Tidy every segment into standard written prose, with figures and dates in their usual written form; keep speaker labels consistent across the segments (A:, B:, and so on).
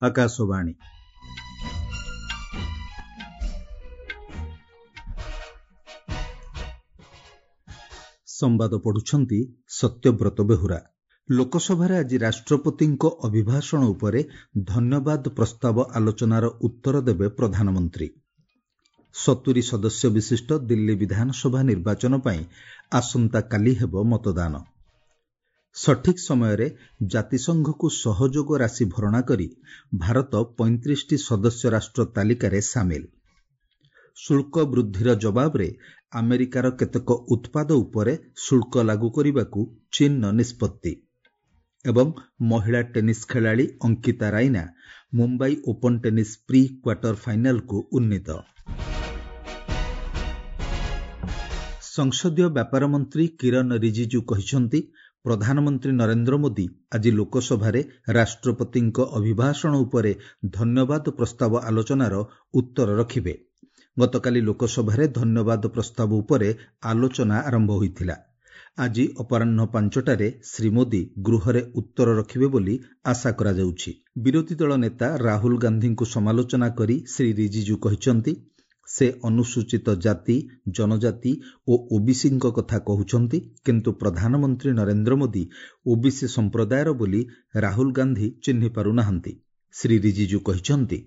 A: ଆକାଶବାଣୀ। ସମ୍ବାଦ ପଢ଼ୁଛନ୍ତି ସତ୍ୟବ୍ରତ ବେହୁରା। ଲୋକସଭାରେ ଆଜି ରାଷ୍ଟ୍ରପତିଙ୍କ ଅଭିଭାଷଣ ଉପରେ ଧନ୍ୟବାଦ ପ୍ରସ୍ତାବ ଆଲୋଚନାର ଉତ୍ତର ଦେବେ ପ୍ରଧାନମନ୍ତ୍ରୀ। 70 ସଦସ୍ୟ ବିଶିଷ୍ଟ ଦିଲ୍ଲୀ ବିଧାନସଭା ନିର୍ବାଚନ ପାଇଁ ଆସନ୍ତାକାଲି ହେବ ମତଦାନ। ସଠିକ୍ ସମୟରେ ଜାତିସଂଘକୁ ସହଯୋଗ ରାଶି ଭରଣା କରି ଭାରତ 35ଟି ସଦସ୍ୟ ରାଷ୍ଟ୍ର ତାଲିକାରେ ସାମିଲ। ଶୁଳ୍କ ବୃଦ୍ଧିର ଜବାବରେ ଆମେରିକାର କେତେକ ଉତ୍ପାଦ ଉପରେ ଶୁଳ୍କ ଲାଗୁ କରିବାକୁ ଚୀନର ନିଷ୍ପତ୍ତି। ଏବଂ ମହିଳା ଟେନିସ୍ ଖେଳାଳି Ankita Raina Mumbai open tennis pre quarter ଫାଇନାଲକୁ ଉନ୍ନୀତ। ସଂସଦୀୟ ବ୍ୟାପାର ମନ୍ତ୍ରୀ କିରନ୍ ରିଜିଜୁ କହିଛନ୍ତି, ପ୍ରଧାନମନ୍ତ୍ରୀ ନରେନ୍ଦ୍ର ମୋଦି ଆଜି ଲୋକସଭାରେ ରାଷ୍ଟ୍ରପତିଙ୍କ ଅଭିଭାଷଣ ଉପରେ ଧନ୍ୟବାଦ ପ୍ରସ୍ତାବ ଆଲୋଚନାର ଉତ୍ତର ରଖିବେ। ଗତକାଲି ଲୋକସଭାରେ ଧନ୍ୟବାଦ ପ୍ରସ୍ତାବ ଉପରେ ଆଲୋଚନା ଆରମ୍ଭ ହୋଇଥିଲା। ଆଜି ଅପରାହ୍ନ 5ଟାରେ ଶ୍ରୀ ମୋଦି ଗୃହରେ ଉତ୍ତର ରଖିବେ ବୋଲି ଆଶା କରାଯାଉଛି। ବିରୋଧୀ ଦଳ ନେତା ରାହୁଲ ଗାନ୍ଧୀଙ୍କୁ ସମାଲୋଚନା କରି ଶ୍ରୀ ରିଜିଜୁ କହିଛନ୍ତି, ସେ ଅନୁସୂଚିତ ଜାତି, ଜନଜାତି ଓ ଓବିସିଙ୍କ କଥା କହୁଛନ୍ତି, କିନ୍ତୁ ପ୍ରଧାନମନ୍ତ୍ରୀ ନରେନ୍ଦ୍ର ମୋଦି ଓବିସି ସମ୍ପ୍ରଦାୟର ବୋଲି ରାହୁଲ ଗାନ୍ଧୀ ଚିହ୍ନି ପାରୁନାହାନ୍ତି। ଶ୍ରୀ ରିଜିଜୁ କହିଛନ୍ତି,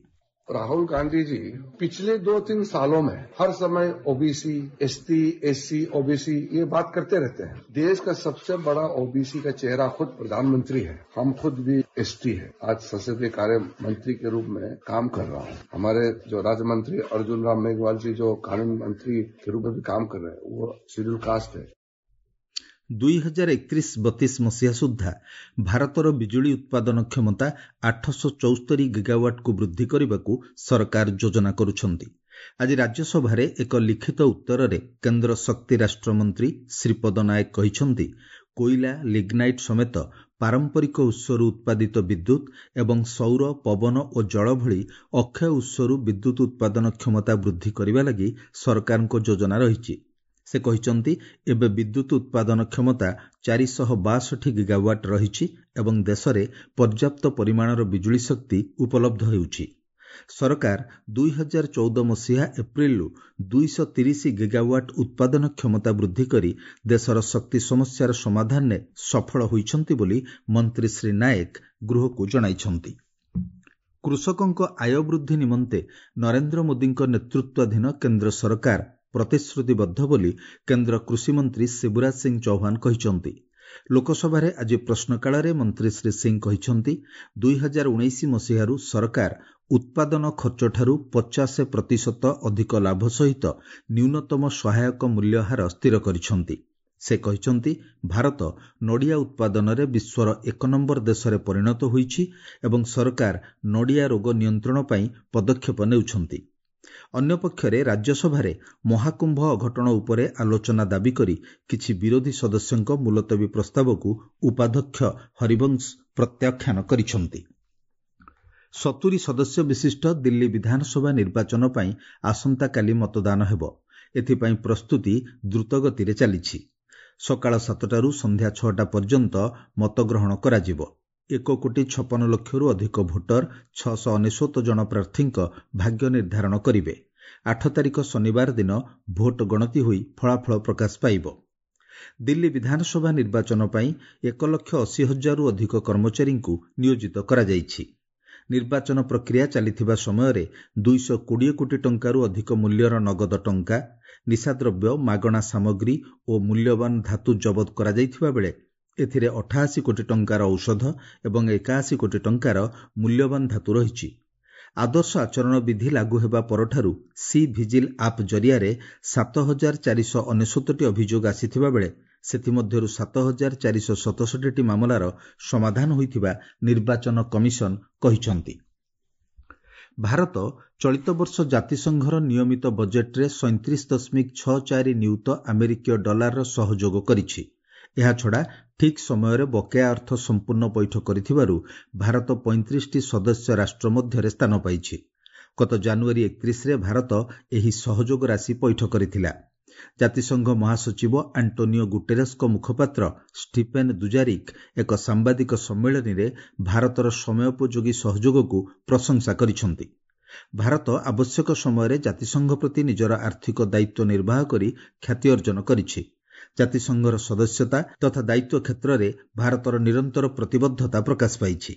B: राहुल गांधी जी पिछले 2-3 सालों में हर समय ओबीसी, एसटी, एससी, ओबीसी ये बात करते रहते हैं। देश का सबसे बड़ा ओबीसी का चेहरा खुद प्रधानमंत्री है। हम खुद भी एसटी है। आज संसदीय कार्य मंत्री के रूप में काम कर रहा हूँ। हमारे जो राज्य मंत्री अर्जुन राम मेघवाल जी जो कानून मंत्री के रूप में भी काम कर रहे हैं, वो शेड्यूल कास्ट है।
A: 2031-32 ମସିହା ସୁଦ୍ଧା ଭାରତର ବିଜୁଳି ଉତ୍ପାଦନ କ୍ଷମତା 874 ଗିଗାୱାଟ୍କୁ ବୃଦ୍ଧି କରିବାକୁ ସରକାର ଯୋଜନା କରୁଛନ୍ତି। ଆଜି ରାଜ୍ୟସଭାରେ ଏକ ଲିଖିତ ଉତ୍ତରରେ କେନ୍ଦ୍ର ଶକ୍ତି ରାଷ୍ଟ୍ରମନ୍ତ୍ରୀ ଶ୍ରୀପଦ ନାୟକ କହିଛନ୍ତି, କୋଇଲା, ଲିଗ୍ନାଇଟ୍ ସମେତ ପାରମ୍ପରିକ ଉତ୍ସରୁ ଉତ୍ପାଦିତ ବିଦ୍ୟୁତ୍ ଏବଂ ସୌର, ପବନ ଓ ଜଳ ଭଳି ଅକ୍ଷୟ ଉତ୍ସରୁ ବିଦ୍ୟୁତ୍ ଉତ୍ପାଦନ କ୍ଷମତା ବୃଦ୍ଧି କରିବା ଲାଗି ସରକାରଙ୍କ ଯୋଜନା ରହିଛି। ସେ କହିଛନ୍ତି, ଏବେ ବିଦ୍ୟୁତ୍ ଉତ୍ପାଦନ କ୍ଷମତା 462 ଗିଗାୱାଟ୍ ରହିଛି ଏବଂ ଦେଶରେ ପର୍ଯ୍ୟାପ୍ତ ପରିମାଣର ବିଜୁଳି ଶକ୍ତି ଉପଲବ୍ଧ ହେଉଛି। ସରକାର 2014 ମସିହା ଏପ୍ରିଲରୁ 230 ଗିଗାୱାଟ୍ ଉତ୍ପାଦନ କ୍ଷମତା ବୃଦ୍ଧି କରି ଦେଶର ଶକ୍ତି ସମସ୍ୟାର ସମାଧାନରେ ସଫଳ ହୋଇଛନ୍ତି ବୋଲି ମନ୍ତ୍ରୀ ଶ୍ରୀ ନାୟକ ଗୃହକୁ ଜଣାଇଛନ୍ତି। କୃଷକଙ୍କ ଆୟ ବୃଦ୍ଧି ନିମନ୍ତେ ନରେନ୍ଦ୍ର ମୋଦିଙ୍କ ନେତୃତ୍ୱାଧୀନ କେନ୍ଦ୍ର ସରକାର ପ୍ରତିଶ୍ରୁତିବଦ୍ଧ ବୋଲି କେନ୍ଦ୍ର କୃଷିମନ୍ତ୍ରୀ ଶିବରାଜ ସିଂ ଚୌହାନ କହିଛନ୍ତି। ଲୋକସଭାରେ ଆଜି ପ୍ରଶ୍ନକାଳରେ ମନ୍ତ୍ରୀ ଶ୍ରୀ ସିଂ କହିଛନ୍ତି, 2019 ମସିହାରୁ ସରକାର ଉତ୍ପାଦନ ଖର୍ଚ୍ଚଠାରୁ 50% ଅଧିକ ଲାଭ ସହିତ ନ୍ୟୁନତମ ସହାୟକ ମୂଲ୍ୟ ହାର ସ୍ଥିର କରିଛନ୍ତି। ସେ କହିଛନ୍ତି, ଭାରତ ନଡ଼ିଆ ଉତ୍ପାଦନରେ ବିଶ୍ୱର 1 ନମ୍ବର ଦେଶରେ ପରିଣତ ହୋଇଛି ଏବଂ ସରକାର ନଡ଼ିଆ ରୋଗ ନିୟନ୍ତ୍ରଣ ପାଇଁ ପଦକ୍ଷେପ ନେଉଛନ୍ତି। ଅନ୍ୟପକ୍ଷରେ ରାଜ୍ୟସଭାରେ ମହାକୁମ୍ଭ ଅଘଟଣ ଉପରେ ଆଲୋଚନା ଦାବି କରି କିଛି ବିରୋଧୀ ସଦସ୍ୟଙ୍କ ମୁଲତବୀ ପ୍ରସ୍ତାବକୁ ଉପାଧ୍ୟକ୍ଷ ହରିବଂଶ ପ୍ରତ୍ୟାଖ୍ୟାନ କରିଛନ୍ତି। 70 ସଦସ୍ୟ ବିଶିଷ୍ଟ ଦିଲ୍ଲୀ ବିଧାନସଭା ନିର୍ବାଚନ ପାଇଁ ଆସନ୍ତାକାଲି ମତଦାନ ହେବ। ଏଥିପାଇଁ ପ୍ରସ୍ତୁତି ଦ୍ରୁତଗତିରେ ଚାଲିଛି। ସକାଳ 7ଟାରୁ ସନ୍ଧ୍ୟା 6ଟା ପର୍ଯ୍ୟନ୍ତ ମତଗ୍ରହଣ କରାଯିବ। 1,56,00,000ରୁ ଅଧିକ ଭୋଟର 699 ଜଣ ପ୍ରାର୍ଥୀଙ୍କ ଭାଗ୍ୟ ନିର୍ଦ୍ଧାରଣ କରିବେ। 8 ତାରିଖ ଶନିବାର ଦିନ ଭୋଟ ଗଣତି ହୋଇ ଫଳାଫଳ ପ୍ରକାଶ ପାଇବ। ଦିଲ୍ଲୀ ବିଧାନସଭା ନିର୍ବାଚନ ପାଇଁ 1,80,000ରୁ ଅଧିକ କର୍ମଚାରୀଙ୍କୁ ନିୟୋଜିତ କରାଯାଇଛି। ନିର୍ବାଚନ ପ୍ରକ୍ରିୟା ଚାଲିଥିବା ସମୟରେ 220 କୋଟି ଟଙ୍କାରୁ ଅଧିକ ମୂଲ୍ୟର ନଗଦ ଟଙ୍କା, ନିଶାଦ୍ରବ୍ୟ, ମାଗଣା ସାମଗ୍ରୀ ଓ ମୂଲ୍ୟବାନ ଧାତୁ ଜବତ କରାଯାଇଥିବା ବେଳେ ଏଥିରେ 88 କୋଟି ଟଙ୍କାର ଔଷଧ ଏବଂ 81 କୋଟି ଟଙ୍କାର ମୂଲ୍ୟବାନ ଧାତୁ ରହିଛି। ଆଦର୍ଶ ଆଚରଣ ବିଧି ଲାଗୁ ହେବା ପରଠାରୁ ସି ଭିଜିଲ୍ ଆପ୍ ଜରିଆରେ 7499ଟି ଅଭିଯୋଗ ଆସିଥିବା ବେଳେ ସେଥିମଧ୍ୟରୁ 7467ଟି ମାମଲାର ସମାଧାନ ହୋଇଥିବା ନିର୍ବାଚନ କମିଶନ କହିଛନ୍ତି। ଭାରତ ଚଳିତ ବର୍ଷ ଜାତିସଂଘର ନିୟମିତ ବଜେଟ୍ରେ 37.64 ନିୟୁତ ଆମେରିକୀୟ ଡଲାରର ସହଯୋଗ କରିଛି। ଏହାଛଡ଼ା ଠିକ୍ ସମୟରେ ବକେୟା ଅର୍ଥ ସମ୍ପୂର୍ଣ୍ଣ ପୈଠ କରିଥିବାରୁ ଭାରତ 35ଟି ସଦସ୍ୟ ରାଷ୍ଟ୍ର ମଧ୍ୟରେ ସ୍ଥାନ ପାଇଛି। ଗତ ଜାନୁଆରୀ 31ରେ ଭାରତ ଏହି ସହଯୋଗ ରାଶି ପୈଠ କରିଥିଲା। ଜାତିସଂଘ ମହାସଚିବ ଆଣ୍ଟୋନିଓ ଗୁଟେରସ୍ଙ୍କ ମୁଖପାତ୍ର ଷ୍ଟିଫେନ୍ ଦୁଜାରିକ୍ ଏକ ସାମ୍ବାଦିକ ସମ୍ମିଳନୀରେ ଭାରତର ସମୟୋପଯୋଗୀ ସହଯୋଗକୁ ପ୍ରଶଂସା କରିଛନ୍ତି। ଭାରତ ଆବଶ୍ୟକ ସମୟରେ ଜାତିସଂଘ ପ୍ରତି ନିଜର ଆର୍ଥିକ ଦାୟିତ୍ୱ ନିର୍ବାହ କରି ଖ୍ୟାତି ଅର୍ଜନ କରିଛି। ଜାତିସଂଘର ସଦସ୍ୟତା ତଥା ଦାୟିତ୍ୱ କ୍ଷେତ୍ରରେ ଭାରତର ନିରନ୍ତର ପ୍ରତିବଦ୍ଧତା ପ୍ରକାଶ ପାଇଛି।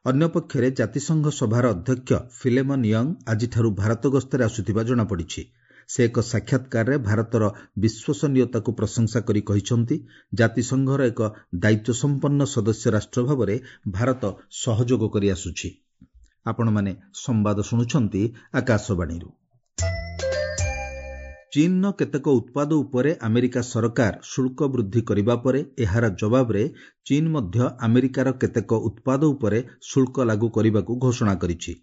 A: ଅନ୍ୟପକ୍ଷରେ ଜାତିସଂଘ ସଭାର ଅଧ୍ୟକ୍ଷ ଫିଲେମନ୍ ୟଙ୍ଗ ଆଜିଠାରୁ ଭାରତ ଗସ୍ତରେ ଆସୁଥିବା ଜଣାପଡ଼ିଛି। ସେ ଏକ ସାକ୍ଷାତକାରରେ ଭାରତର ବିଶ୍ୱସନୀୟତାକୁ ପ୍ରଶଂସା କରି କହିଛନ୍ତି, ଜାତିସଂଘର ଏକ ଦାୟିତ୍ୱସମ୍ପନ୍ନ ସଦସ୍ୟ ରାଷ୍ଟ୍ର ଭାବରେ ଭାରତ ସହଯୋଗ କରିଆସୁଛି। ଆପଣମାନେ ସମ୍ବାଦ ଶୁଣୁଛନ୍ତି ଆକାଶବାଣୀରୁ। ଚୀନ୍ର କେତେକ ଉତ୍ପାଦ ଉପରେ ଆମେରିକା ସରକାର ଶୁଳ୍କ ବୃଦ୍ଧି କରିବା ପରେ ଏହାର ଜବାବରେ ଚୀନ୍ ମଧ୍ୟ ଆମେରିକାର କେତେକ ଉତ୍ପାଦ ଉପରେ ଶୁଳ୍କ ଲାଗୁ କରିବାକୁ ଘୋଷଣା କରିଛି।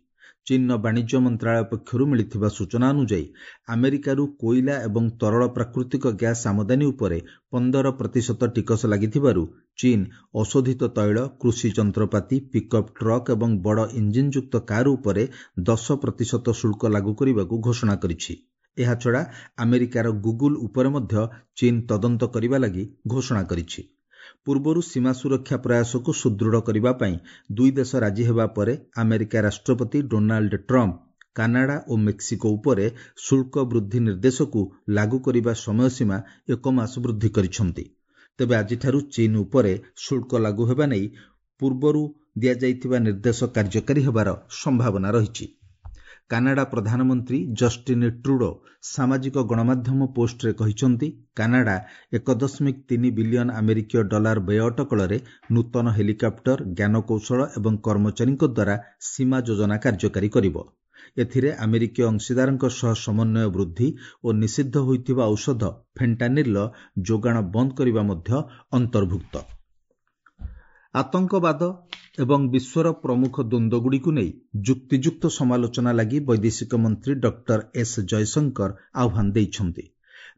A: ଚୀନ୍ର ବାଣିଜ୍ୟ ମନ୍ତ୍ରଣାଳୟ ପକ୍ଷରୁ ମିଳିଥିବା ସୂଚନା ଅନୁଯାୟୀ, ଆମେରିକାରୁ କୋଇଲା ଏବଂ ତରଳ ପ୍ରାକୃତିକ ଗ୍ୟାସ୍ ଆମଦାନୀ ଉପରେ 15% ଟିକସ ଲାଗିଥିବାରୁ ଚୀନ୍ ଅଶୋଧିତ ତୈଳ, କୃଷି ଯନ୍ତ୍ରପାତି, ପିକ୍ଅପ୍ ଟ୍ରକ୍ ଏବଂ ବଡ଼ ଇଞ୍ଜିନ୍ଯୁକ୍ତ କାର୍ ଉପରେ 10% ଶୁଳ୍କ ଲାଗୁ କରିବାକୁ ଘୋଷଣା କରିଛି। ଏହାଛଡ଼ା ଆମେରିକାର ଗୁଗୁଲ୍ ଉପରେ ମଧ୍ୟ ଚୀନ୍ ତଦନ୍ତ କରିବା ଲାଗି ଘୋଷଣା କରିଛି। ପୂର୍ବରୁ ସୀମା ସୁରକ୍ଷା ପ୍ରୟାସକୁ ସୁଦୃଢ଼ କରିବା ପାଇଁ ଦୁଇ ଦେଶ ରାଜି ହେବା ପରେ ଆମେରିକା ରାଷ୍ଟ୍ରପତି ଡୋନାଲ୍ଡ ଟ୍ରମ୍ପ କାନାଡା ଓ ମେକ୍ସିକୋ ଉପରେ ଶୁଳ୍କ ବୃଦ୍ଧି ନିର୍ଦ୍ଦେଶକୁ ଲାଗୁ କରିବା ସମୟସୀମା ଏକ ମାସ ବୃଦ୍ଧି କରିଛନ୍ତି। ତେବେ ଆଜିଠାରୁ ଚୀନ୍ ଉପରେ ଶୁଳ୍କ ଲାଗୁ ହେବା ନେଇ ପୂର୍ବରୁ ଦିଆଯାଇଥିବା ନିର୍ଦ୍ଦେଶ କାର୍ଯ୍ୟକାରୀ ହେବାର ସମ୍ଭାବନା ରହିଛି। କାନାଡା ପ୍ରଧାନମନ୍ତ୍ରୀ ଜଷ୍ଟିନ୍ ଟ୍ରୁଡୋ ସାମାଜିକ ଗଣମାଧ୍ୟମ ପୋଷ୍ଟରେ କହିଛନ୍ତି, କାନାଡା 1.3 ବିଲିୟନ ଆମେରିକୀୟ ଡଲାର ବ୍ୟୟ ଅଟକଳରେ ନୂତନ ହେଲିକପ୍ଟର, ଜ୍ଞାନକୌଶଳ ଏବଂ କର୍ମଚାରୀଙ୍କ ଦ୍ୱାରା ସୀମା ଯୋଜନା କାର୍ଯ୍ୟକାରୀ କରିବ। ଏଥିରେ ଆମେରିକୀୟ ଅଂଶୀଦାରଙ୍କ ସହ ସମନ୍ୱୟ ବୃଦ୍ଧି ଓ ନିଷିଦ୍ଧ ହୋଇଥିବା ଔଷଧ ଫେଣ୍ଟାନିଲ୍ର ଯୋଗାଣ ବନ୍ଦ କରିବା ମଧ୍ୟ ଅନ୍ତର୍ଭୁକ୍ତ। ଆତଙ୍କବାଦ ଏବଂ ବିଶ୍ୱର ପ୍ରମୁଖ ଦ୍ୱନ୍ଦ୍ୱଗୁଡ଼ିକୁ ନେଇ ଯୁକ୍ତିଯୁକ୍ତ ସମାଲୋଚନା ଲାଗି ବୈଦେଶିକ ମନ୍ତ୍ରୀ ଡକ୍ଟର ଏସ୍ ଜୟଶଙ୍କର ଆହ୍ୱାନ ଦେଇଛନ୍ତି।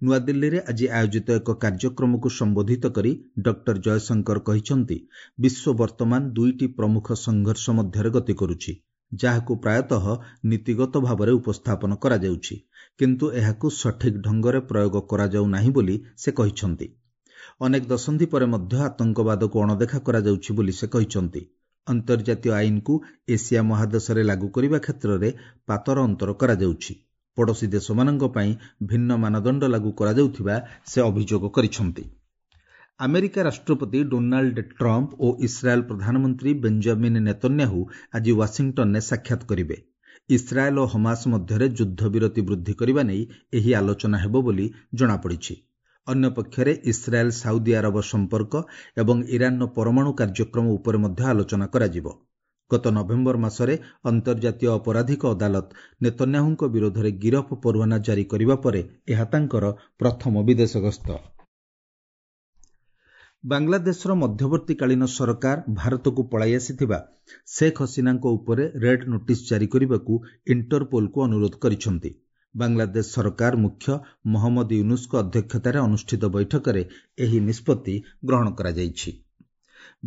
A: ନୂଆଦିଲ୍ଲୀରେ ଆଜି ଆୟୋଜିତ ଏକ କାର୍ଯ୍ୟକ୍ରମକୁ ସମ୍ବୋଧିତ କରି ଡକ୍ଟର ଜୟଶଙ୍କର କହିଛନ୍ତି, ବିଶ୍ୱ ବର୍ତ୍ତମାନ ଦୁଇଟି ପ୍ରମୁଖ ସଂଘର୍ଷ ମଧ୍ୟରେ ଗତି କରୁଛି, ଯାହାକୁ ପ୍ରାୟତଃ ନୀତିଗତ ଭାବରେ ଉପସ୍ଥାପନ କରାଯାଉଛି, କିନ୍ତୁ ଏହାକୁ ସଠିକ୍ ଢଙ୍ଗରେ ପ୍ରୟୋଗ କରାଯାଉ ନାହିଁ ବୋଲି ସେ କହିଛନ୍ତି। ଅନେକ ଦଶନ୍ଧି ପରେ ମଧ୍ୟ ଆତଙ୍କବାଦକୁ ଅଣଦେଖା କରାଯାଉଛି ବୋଲି ସେ କହିଛନ୍ତି। ଅନ୍ତର୍ଜାତୀୟ ଆଇନକୁ ଏସିଆ ମହାଦେଶରେ ଲାଗୁ କରିବା କ୍ଷେତ୍ରରେ ପାତର ଅନ୍ତର କରାଯାଉଛି। ପଡ଼ୋଶୀ ଦେଶମାନଙ୍କ ପାଇଁ ଭିନ୍ନ ମାନଦଣ୍ଡ ଲାଗୁ କରାଯାଉଥିବା ସେ ଅଭିଯୋଗ କରିଛନ୍ତି। ଆମେରିକା ରାଷ୍ଟ୍ରପତି ଡୋନାଲ୍ଡ ଟ୍ରମ୍ପ ଓ ଇସ୍ରାଏଲ୍ ପ୍ରଧାନମନ୍ତ୍ରୀ ବେଞ୍ଜାମିନ୍ ନେତନ୍ୟାହୁ ଆଜି ୱାଶିଂଟନରେ ସାକ୍ଷାତ କରିବେ। ଇସ୍ରାଏଲ୍ ଓ ହମାସ ମଧ୍ୟରେ ଯୁଦ୍ଧବିରତି ବୃଦ୍ଧି କରିବା ନେଇ ଏହି ଆଲୋଚନା ହେବ ବୋଲି ଜଣାପଡ଼ିଛି। ଅନ୍ୟପକ୍ଷରେ ଇସ୍ରାଏଲ୍ ସାଉଦି ଆରବ ସମ୍ପର୍କ ଏବଂ ଇରାନର ପରମାଣୁ କାର୍ଯ୍ୟକ୍ରମ ଉପରେ ମଧ୍ୟ ଆଲୋଚନା କରାଯିବ। ଗତ ନଭେମ୍ବର ମାସରେ ଅନ୍ତର୍ଜାତୀୟ ଅପରାଧିକ ଅଦାଲତ ନେତନ୍ୟାହୁଙ୍କ ବିରୋଧରେ ଗିରଫ ପରୱାନା ଜାରି କରିବା ପରେ ଏହା ତାଙ୍କର ପ୍ରଥମ ବିଦେଶ ଗସ୍ତ। ବାଂଲାଦେଶର ମଧ୍ୟବର୍ତ୍ତୀକାଳୀନ ସରକାର ଭାରତକୁ ପଳାଇ ଆସିଥିବା ଶେଖ୍ ହସିନାଙ୍କ ଉପରେ ରେଡ୍ ନୋଟିସ୍ ଜାରି କରିବାକୁ ଇଣ୍ଟରପୋଲକୁ ଅନୁରୋଧ କରିଛନ୍ତି। ବାଂଲାଦେଶ ସରକାର ମୁଖ୍ୟ ମହମ୍ମଦ ୟୁନୁସଙ୍କ ଅଧ୍ୟକ୍ଷତାରେ ଅନୁଷ୍ଠିତ ବୈଠକରେ ଏହି ନିଷ୍ପତ୍ତି ଗ୍ରହଣ କରାଯାଇଛି।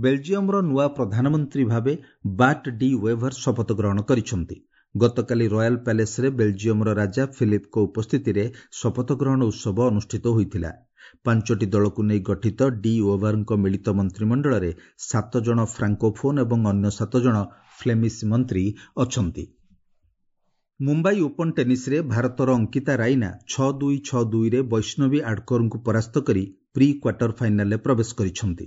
A: ବେଲଜିୟମର ନୂଆ ପ୍ରଧାନମନ୍ତ୍ରୀ ଭାବେ ବାଟ୍ ଡି ୱେଭର ଶପଥ ଗ୍ରହଣ କରିଛନ୍ତି। ଗତକାଲି ରୟାଲ ପ୍ୟାଲେସ୍ରେ ବେଲଜିୟମର ରାଜା ଫିଲିପ୍ଙ୍କ ଉପସ୍ଥିତିରେ ଶପଥ ଗ୍ରହଣ ଉତ୍ସବ ଅନୁଷ୍ଠିତ ହୋଇଥିଲା। 5ଟି ଦଳକୁ ନେଇ ଗଠିତ ଡି ୱେଭରଙ୍କ ମିଳିତ ମନ୍ତ୍ରିମଣ୍ଡଳରେ 7 ଜଣ ଫ୍ରାଙ୍କୋଫୋନ୍ ଏବଂ ଅନ୍ୟ 7 ଜଣ ଫ୍ଲେମିସ୍ ମନ୍ତ୍ରୀ ଅଛନ୍ତି। ମୁମ୍ବାଇ ଓପନ୍ ଟେନିସ୍ରେ ଭାରତର ଅଙ୍କିତା ରାଇନା 6-2, 6-2ରେ ବୈଷ୍ଣବୀ ଆଡକରଙ୍କୁ ପରାସ୍ତ କରି ପ୍ରି କ୍ୱାର୍ଟର ଫାଇନାଲରେ ପ୍ରବେଶ କରିଛନ୍ତି।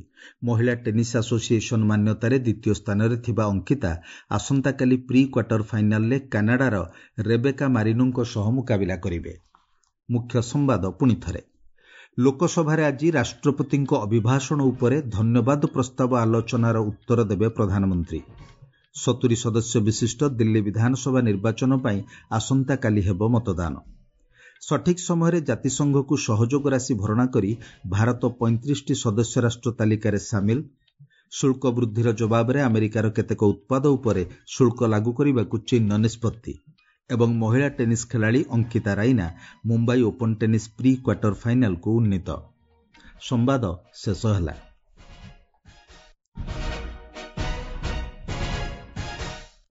A: ମହିଳା ଟେନିସ୍ ଆସୋସିଏସନ୍ ମାନ୍ୟତାରେ ଦ୍ୱିତୀୟ ସ୍ଥାନରେ ଥିବା ଅଙ୍କିତା ଆସନ୍ତାକାଲି ପ୍ରି କ୍ୱାର୍ଟର ଫାଇନାଲରେ କାନାଡାର ରେବେକା ମାରିନୋଙ୍କ ସହ ମୁକାବିଲା କରିବେ। ମୁଖ୍ୟ ସମ୍ବାଦ ପୁଣିଥରେ। ଲୋକସଭାରେ ଆଜି ରାଷ୍ଟ୍ରପତିଙ୍କ ଅଭିଭାଷଣ ଉପରେ ଧନ୍ୟବାଦ ପ୍ରସ୍ତାବ ଆଲୋଚନାର ଉତ୍ତର ଦେବେ ପ୍ରଧାନମନ୍ତ୍ରୀ। 70 ସଦସ୍ୟ ବିଶିଷ୍ଟ ଦିଲ୍ଲୀ ବିଧାନସଭା ନିର୍ବାଚନ ପାଇଁ ଆସନ୍ତାକାଲି ହେବ ମତଦାନ। ସଠିକ୍ ସମୟରେ ଜାତିସଂଘକୁ ସହଯୋଗ ରାଶି ଭରଣା କରି ଭାରତ 35ଟି ସଦସ୍ୟ ରାଷ୍ଟ୍ର ତାଲିକାରେ ସାମିଲ। ଶୁଳ୍କ ବୃଦ୍ଧିର ଜବାବରେ ଆମେରିକାର କେତେକ ଉତ୍ପାଦ ଉପରେ ଶୁଳ୍କ ଲାଗୁ କରିବାକୁ ଚୀନ୍ର ନିଷ୍ପତ୍ତି। ଏବଂ ମହିଳା ଟେନିସ୍ ଖେଳାଳି Ankita Raina Mumbai open tennis pre quarter ଫାଇନାଲକୁ ଉନ୍ନୀତ। ସମ୍ବାଦ ଶେଷ ହେଲା।